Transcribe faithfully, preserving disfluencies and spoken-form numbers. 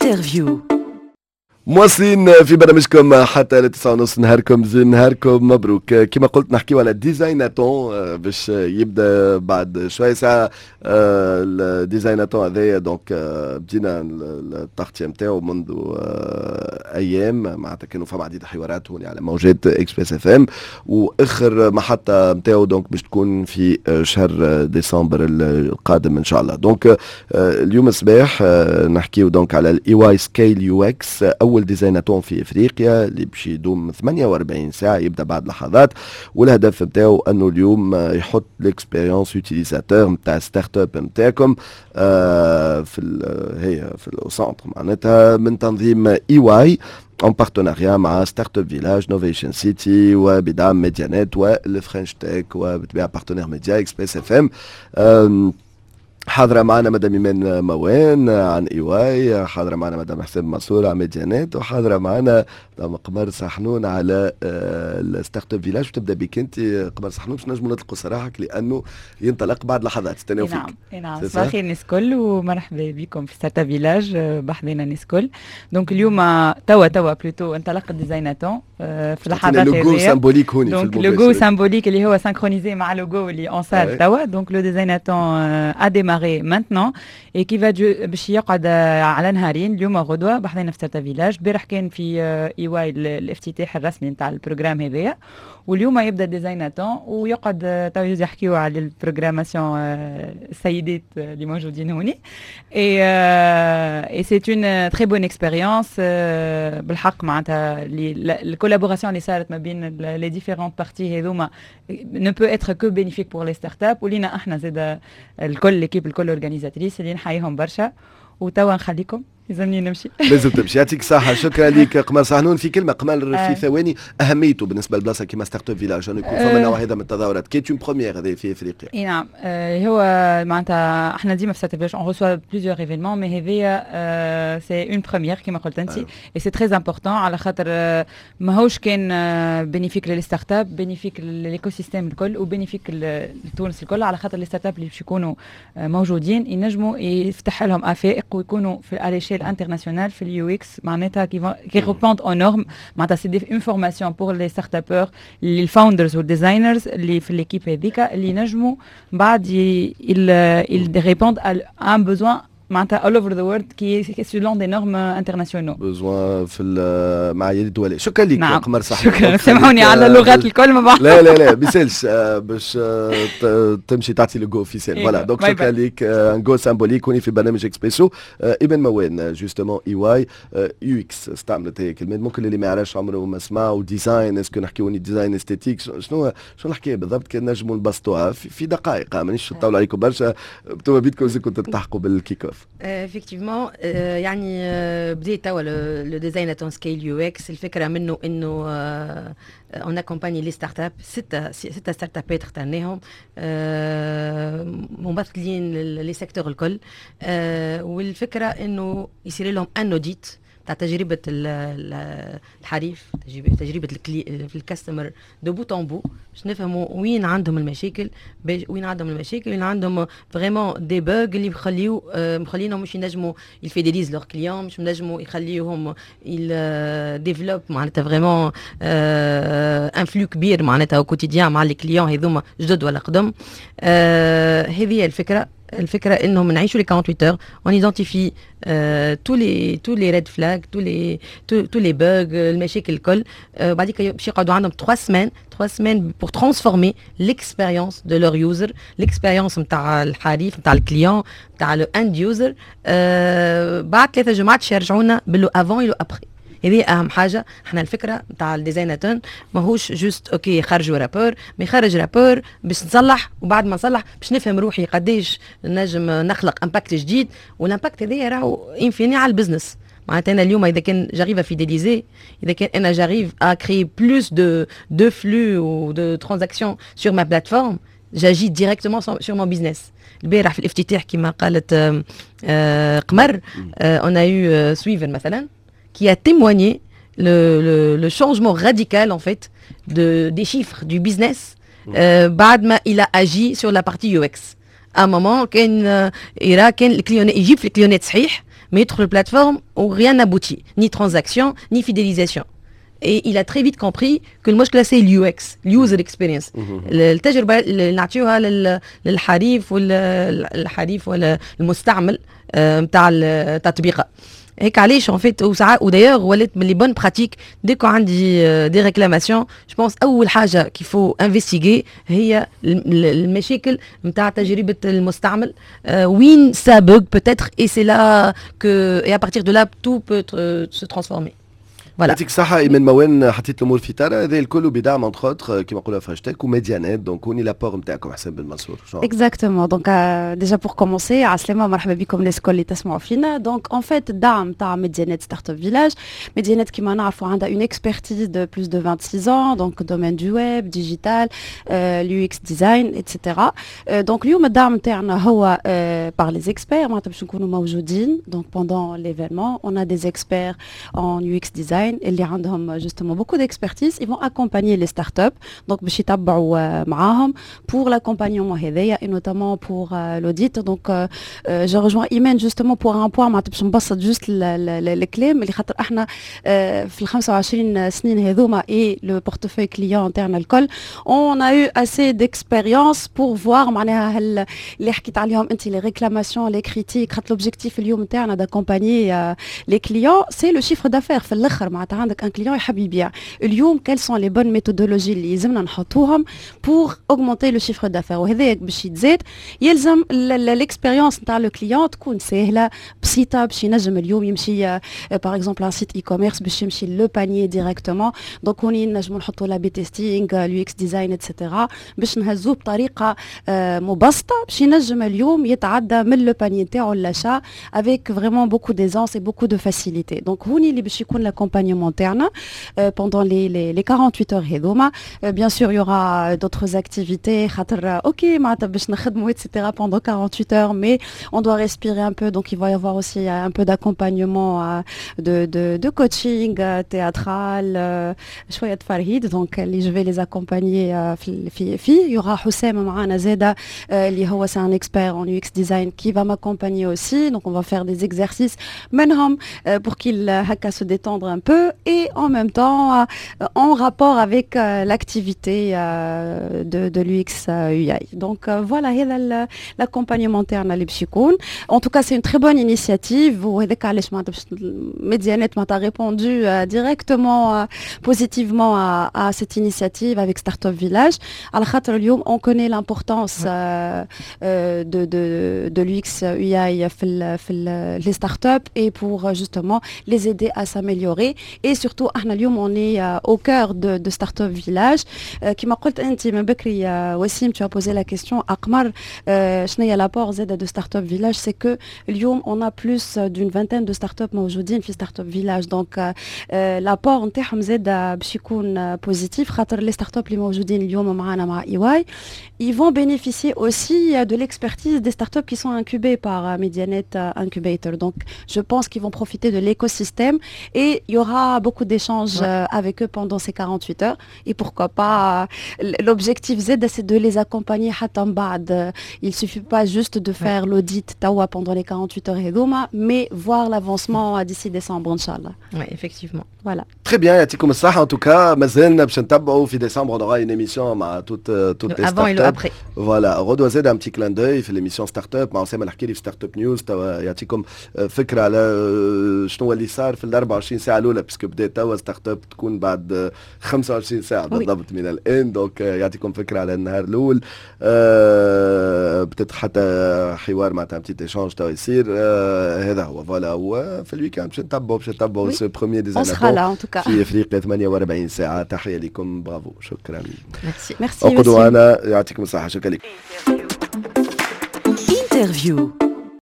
Interview. مواصلين في برنامجكم حتى لتسعة ونص. نهاركم زين، نهاركم مبروك. كما قلت، نحكيو على designathon باش يبدا بعد شوي ساعة. ال designathon هذايا donc بدينا التغطية نتاعو منذ ايام، معناتها كانوا فما عديد الحوارات هوني على موجات Express FM، واخر محطة نتاعو donc باش تكون في شهر ديسمبر القادم ان شاء الله. donc اليوم الصباح نحكيو donc على ال EY Scale UX، اول designathon في افريقيا اللي باش يدوم ثمانية وأربعين ساعه، يبدا بعد لحظات. والهدف نتاعو انه اليوم يحط l'expérience utilisateur نتاع startup نتاعكم آه، في هي في ال centre، معناتها من تنظيم EY en partenariat مع Startup Village، Novation City، وبدعم Medianet وال French Tech، وبطبيعة partenaire média Express FM. حاضرة معنا مدام إيمان موان عن EY، حاضرة معنا مدام حسين منصور عن Medianet، وحاضرة معنا مدام قمر سحنون على ال Startup Village. تبدا بك انت قمر سحنون باش نجموا نطلقوا سراحك، لانه ينطلق بعد لحظات. استناو فيك. نعم نعم، صباح الخير الناس الكل ومرحبا بكم في Startup Village بحذنا الناس الكل. donc اليوم توا توا plutôt انطلق ال designathon في اللحظات. logo symbolique هوني. donc logo symbolique اللي هو synchronisé مع لوجو اللي en salle توا. donc le designathon a démarré maintenant et qui va باش يقعد على نهارين، اليوم وغدوه، بحذنا في Startup Village. البارح كان في EY الافتتاح الرسمي نتاع ال programme هذايا، واليوم يبدا designathon ويقعد تو يحكيو على ال programmation السيدات اللي موجودين هوني. et et c'est une très bonne expérience بالحق، معناتها ال collaboration اللي صارت ما بين les différentes parties هذوما ne peut être que bénéfique pour les startups ولينا احنا زاد الكل، l'équipe الكل organisatrice اللي نحييهم برشا. وتوا نخليكم، لازمني نمشي. لازم تمشي. يعطيك الصحة، شكرا لك قمر صحنون. في كلمة قمر، في ثواني، أهميته بالنسبة لبلاصة كيما Startup Village أنه يكون فما نوع هذا من التظاهرات qui est une première هذه في افريقيا؟ اي نعم، آه هو معناتها احنا ديما في Startup Village on reçoit plusieurs événements، mais هذيا c'est une première كيما قلت انت et c'est très important، على خاطر ماهوش كان bénéfique لل startups، bénéfique لل écosystème الكل و bénéfique لتونس الكل، على خاطر les startups اللي باش يكونوا موجودين ينجموا يفتح لهم افاق ويكونوا في à l'échelle internationale في ال UX، معناتها qui qui répondent aux normes. معناتها c'est des une formation pour les startuppeurs، les founders وال designers اللي في l'équipe هذيك، اللي ينجموا بعد ils répondent à un besoin معناتها all over the world qui est selon des normes internationaux. besoin في المعايير الدولية. شكرا لك. نعم. قمر صح. شكرا، سامحوني على اللغات الكل ما بعرف. لا لا لا، بيسالش، باش تمشي تعطي le go officiel. voilà، donc شكرا لك. un go symbolique هوني في برنامج اكسبريسو. ايمان موان، justement EY UX، استعملت هي كلمات ممكن اللي ما يعرفش عمره ما سمع، و design، est-ce que نحكيو design esthétique؟ شنو شنو الحكاية بالضبط؟ كان نجموا نبسطوها في دقائق، مانيش نطول عليكم برشا، انتم بيدكم كنتوا تلتحقوا بال kick-off. effectivement، يعني بديت توا le designathon Scale UX. الفكرة منه انه on accompagne les startups، ستة ستة startup ات اخترناهم ممثلين les secteurs الكل، والفكرة انه يصير لهم un audit تاع تجربه الحريف، تجربه في ال customer de bout en bout، باش نفهموا وين عندهم المشاكل، وين عندهم المشاكل، وين عندهم vraiment des bugs اللي يخليو مخلينهم مش ينجموا ي fidélisent leurs clients، مش ينجموا يخليوهم développent معناتها vraiment un flux كبير معناتها quotidien مع les clients هذوما، جدد ولا قدم. هذه هي الفكره. الفكرة انهم نعيشوا les quarante-huit heures، on identifie tous les tous les red flags، tous les tous les bugs، المشاكل الكل. بعديك باش يقعدوا عندهم trois semaines، trois semaines pour transformer l'expérience de leur user، l'expérience نتاع الحريف، نتاع ال client، نتاع le end user. بعد ثلاثة جمعات يرجعونا ب le avant et le après. هذه اهم حاجه. احنا الفكرة نتاع ال designathon ماهوش juste OK خرجوا rapport، mais خرج rapport باش نصلح، وبعد ما نصلح باش نفهم روحي قداش نجم نخلق impact جديد، وال impact هذايا راهو in fine على ال business. معناتها انا اليوم اذا كان j'arrive à fidéliser، اذا كان انا j'arrive à créer plus de de flux ou de transactions sur ma plateforme، j'agis directement sur mon business. البارح في الافتتاح، كما قالت قمر، on a eu Swivel مثلا qui a témoigné le, le, le changement radical en fait de, des chiffres du business euh, بعد ما il a agi sur la partie UX. À un moment كان يرى كان ال client يجيب في ال client ات صحيح. ما يدخل ال plateforme و rien n'aboutit, ni transaction ni fidélisation. Et il a très vite compris que المشكلة c'est l'U X, user experience، التجربة اللي نعطيوها للحريف ولا الحريف ولا المستعمل نتاع التطبيق. هيك علاش en fait وساعات و d'ailleurs ولات من les bonnes pratiques, dès que عندي des réclamations, je pense اول حاجة qu'il faut investiguer هي المشاكل نتاع تجربه المستعمل، وين ça bug peut-être, et c'est là que et à partir de là tout peut se transformer. Voilà. يعطيك الصحة إيمان موان، حطيت الأمور في طارة. هذا الكل بدعم entre autres كيما نقولوا Fresh Tech و Medianet. Donc هوني l'apport نتاعكم، حسين بن منصور. Exactement. Donc déjà pour commencer، عسلامة، مرحبا بكم الناس الكل اللي تسمعوا فينا. Donc en fait الدعم تاع Medianet Startup Village، Medianet كيما نعرفوا عندها une expertise de plus de vingt-six ans, donc domaine du web, digital, l'U X design, et cetera. Donc اليوم الدعم نتاعنا هو par les experts، معناتها باش نكونوا موجودين. Donc pendant l'événement, on a des experts en U X design اللي عندهم justement beaucoup d'expertise, ils vont accompagner les startups. Donc باش يتبعوا معاهم pour l'accompagnement هذايا et notamment pour l'audit. Donc je rejoins Imen justement pour un point، معناتها باش نبسط juste الكلام اللي خاطر احنا في ال خمسة وعشرين سنين هذوما et le portefeuille client نتاعنا الكل, on a eu assez d'expérience pour voir معناها اللي حكيت عليهم انت, les réclamations, les critiques، خاطر l'objectif اليوم نتاعنا d'accompagner les clients, c'est le chiffre d'affaires. في الاخر معناتها عندك un client يحب يبيع، اليوم quelles sont les bonnes méthodologies اللي يلزمنا نحطوهم pour augmenter le chiffre d'affaires؟ وهذا باش يتزاد يلزم l'expérience نتاع le client تكون سهلة بسيطه، باش ينجم اليوم يمشي par exemple un site e-commerce باش يمشي le panier directement. Donc هوني نجمو نحطوا l'A B testing, l'U X design, et cetera، باش نهزوه بطريقة مبسطة باش ينجم اليوم يتعدى من le panier نتاعو l'achat avec vraiment beaucoup d'aisance et beaucoup de facilité. Donc هوني اللي باش يكون l'accompagnement تاعنا pendant les les les quarante-huit heures هذوما. Bien sûr, il y aura d'autres activités، خاطر OK معناتها باش نخدموا et cetera pendant quarante-huit heures, mais on doit respirer un peu. Donc il va y avoir aussi un peu d'accompagnement, de, de, de coaching théâtral، شوية تفرهيد. Donc اللي je vais les accompagner في في في il y aura حسام معانا زاده اللي هو c'est un expert en U X design qui va m'accompagner aussi. Donc on va faire des exercices منهم pour qu'il هكا se détendre un peu et en même temps en rapport avec l'activité de, de l'U X U I. Donc voilà هذا l'accompagnement تاعنا اللي باش يكون. En tout cas, c'est une très bonne initiative، وهذاك علاش معناتها باش Medianet معناتها répondu directement positivement à, à cette initiative avec Startup Village، على خاطر اليوم on connaît l'importance de de de l'U X U I في في les startups et pour justement les aider à s'améliorer. Et surtout احنا اليوم on est au cœur de, de Startup Village. كما قلت انت من بكري وسيم، tu as posé la question اقمر، شنو هي l'apport زاد de Startup Village؟ C'est que اليوم on a plus d'une vingtaine de startups موجودين في Startup Village. Donc l'apport نتاعهم زاد باش يكون positif، خاطر les startups اللي موجودين اليوم معنا مع E Y, ils vont bénéficier aussi de l'expertise des startups qui sont incubées par Medianet Incubator. Donc, je pense qu'ils vont profiter de l'écosystème et il y aura beaucoup d'échanges ouais. avec eux pendant ces quarante-huit heures. Et pourquoi pas, l'objectif زادة, c'est de les accompagner حتى من بعد. Il suffit pas juste de faire ouais. l'audit توا pendant les quarante-huit heures هذوما, mais voir l'avancement d'ici décembre, إن شاء الله. Oui, effectivement. Voilà. Très bien, يعطيكم الصحة. En tout cas, مازلنا باش نتبعوا في décembre, on aura une émission مع toutes toutes les avant et le après. Voilà, غدوة زاد un petit clin d'œil في l'émission Startup مع اسامة الحكيري في Startup News، توا يعطيكم فكرة على شنو اللي صار في ال أربعة وعشرين ساعة الأولى، parce que بدا توا Startup تكون بعد خمسة وعشرين ساعة بالضبط من الآن. Donc يعطيكم فكرة على النهار الأول، peut-être حتى حوار معناتها petit échange توا يصير. هذا هو، voilà. وفي ال week-end باش نتبعوا باش نتبعوا ce premier designathon في افريقيا ثمانية وأربعين ساعة. تحية لكم، برافو، شكرا. Merci. Merci. اقعدوا معنا، يعطيكم الصحة، شكرا لكم. Interview.